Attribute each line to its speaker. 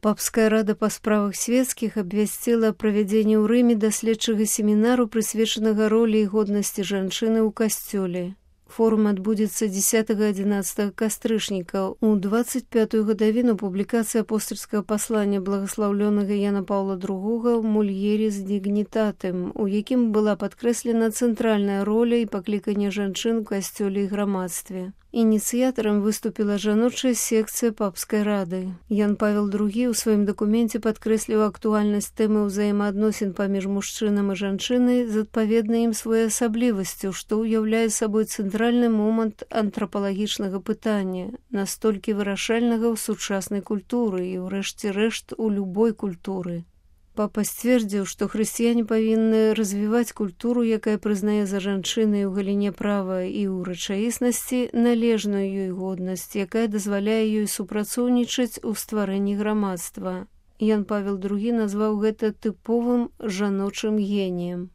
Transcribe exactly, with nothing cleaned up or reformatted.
Speaker 1: Папская рада па справах свецкіх абвясціла правядзенне ў Рыме даследчага семінару, прысвечанага ролі і годнасці жанчыны ў касцёле. Форум адбудзецца дзесятага-адзінаццатага кастрычніка. У дваццаць пятую гадавіну публікацыя апостальскага паслання благаслаўлёнага Яна Паўла другога «Мульерис дигнитатем», у якім была падкрэслена цэнтральная роля і пакліканне жанчын у касцёле і грамадстве. Ініцыятарам выступіла жаночая секцыя папскай рады. Ян Павел другі ў сваім дакуменце падкрэсліў актуальнасць тэмы ўзаемаадносін паміж мужчынам і жанчынай з адпаведнай ім своеасаблівасцю, што ўяўляе сабой цэнтральны момант антрапалагічнага пытання, настолькі вырашальнага ў сучаснай культуры і, ўрэшце рэшт, у любой культуры. Папа сцвердзіў, што хрысціяне павінны развіваць культуру, якая прызнае за жанчынай у галіне права і ў рэчаіснасці належную ёй годнасць, якая дазваляе ёй супрацоўнічаць у стварэнні грамадства. Ян Павел другі назваў гэта тыповым жаночым геніем.